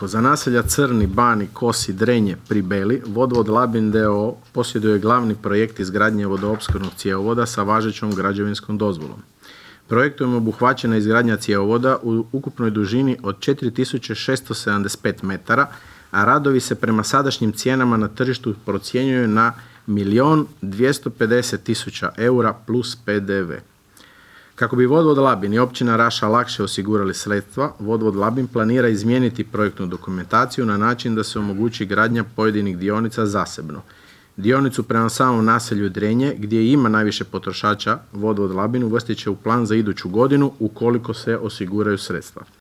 ovako. Za naselja Crni, Bani, Kosi, Drenje pri Beli, Vodovod Labin d.o.o. posjeduje glavni projekt izgradnje vodoopskrbnog cjevovoda sa važećom građevinskom dozvolom. Projektom je obuhvaćena izgradnja cjevovoda u ukupnoj dužini od 4675 metara, a radovi se prema sadašnjim cijenama na tržištu procjenjuju na 1.250.000 eura plus PDV. Kako bi Vodovod Labin i općina Raša lakše osigurali sredstva, Vodovod Labin planira izmijeniti projektnu dokumentaciju na način da se omogući gradnja pojedinih dionica zasebno. Dionicu prema samom naselju Drenje, gdje ima najviše potrošača, Vodovod Labin uvrstit će u plan za iduću godinu ukoliko se osiguraju sredstva.